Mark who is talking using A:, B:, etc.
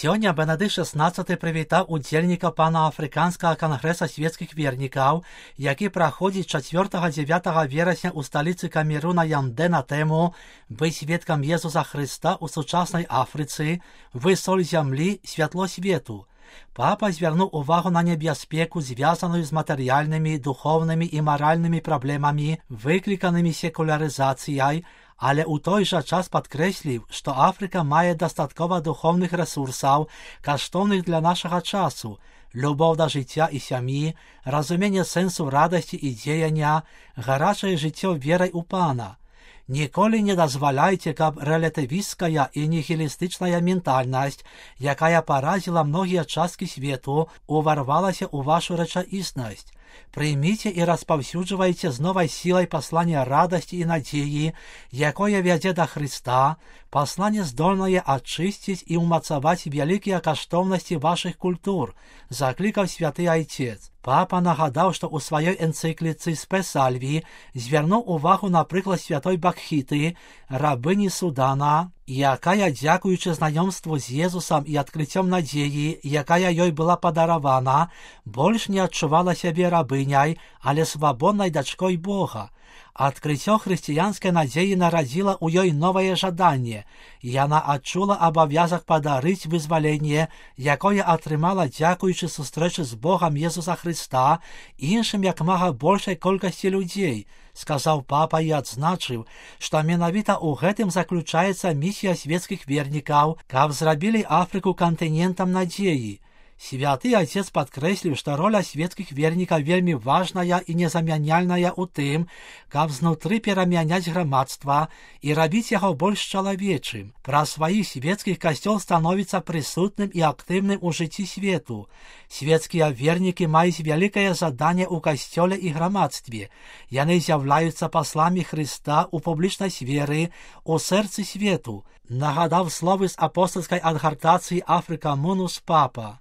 A: Сёння Бенедыкт XVI прывітаў удзельнікаў панаафрыканскага кангрэса свецкіх вернікаў, які праходзіць 4-9 верасня ў сталіцы Камеруна Янде на тэму «Быць сведкам Езуса Хрыста ў сучаснай Афрыцы, вы соль зямлі, святло свету». Папа звярнуў увагу на небяспеку, звязаную з матэрыяльнымі, духоўнымі і маральнымі праблемамі, выкліканымі секулярызацыяй, але ў той жа час падкрэсліў, што Афрыка мае дастаткова духоўных рэсурсаў, каштоўных для нашага часу, любоў да жыцця і сям'і, разуменне сэнсу радасці і дзеяння, гарачае жыццё верай у Пана. Ніколі не дазваляйце, каб рэлятывісцкая і нігілістычная ментальнасць, якая паразіла многія часткі свету, уварвалася ў вашу рэчаіснасць. Прыміце і распаўсюджвайце з новай сілай пасланне радасці і надзеі, якое вядзе да Хрыста, пасланне здольнае ачысціць і ўмацаваць вялікія каштоўнасці вашых культур, заклікаў святы айцец. Папа нагадаў, што ў сваёй энцыкліцы «Спе Сальві» звярнуў увагу на прыклад святой Бакхіты, рабыні Судана, якая, дзякуючы знаёмству з Езусам і адкрыццём надзеі, якая ёй была падаравана, больш не адчувала сябе рабыняй, але свабоднай дачкой Бога. Адкрыццё хрысціянскай надзеі нарадзіла ў ёй новае жаданне. Яна адчула абавязак падарыць вызваленне, якое атрымала дзякуючы сустрэчы з Богам Езуса Хрыста іншым як мага большай колькасці людзей, сказаў папа і адзначыў, што менавіта ў гэтым заключаецца місія свецкіх вернікаў, каб зрабілі Афрыку кантынентам надзеі. Святы айцец падкрэсліў, што роля свецкіх вернікаў вельмі важная і незамяняльная ў тым, каб знутры перамяняць грамадства і рабіць яго больш чалавечым. Праз сваіх свецкіх касцёл становіцца прысутным і актыўным у жыцці свету. Свецкія вернікі маюць вялікае заданне ў касцёле і грамадстве. Яны з'яўляюцца пасламі Хрыста ў публічнай сферы, у сэрцы свету, нагадаў словы з апостальскай адгартацыі Афрыка Мунус папа.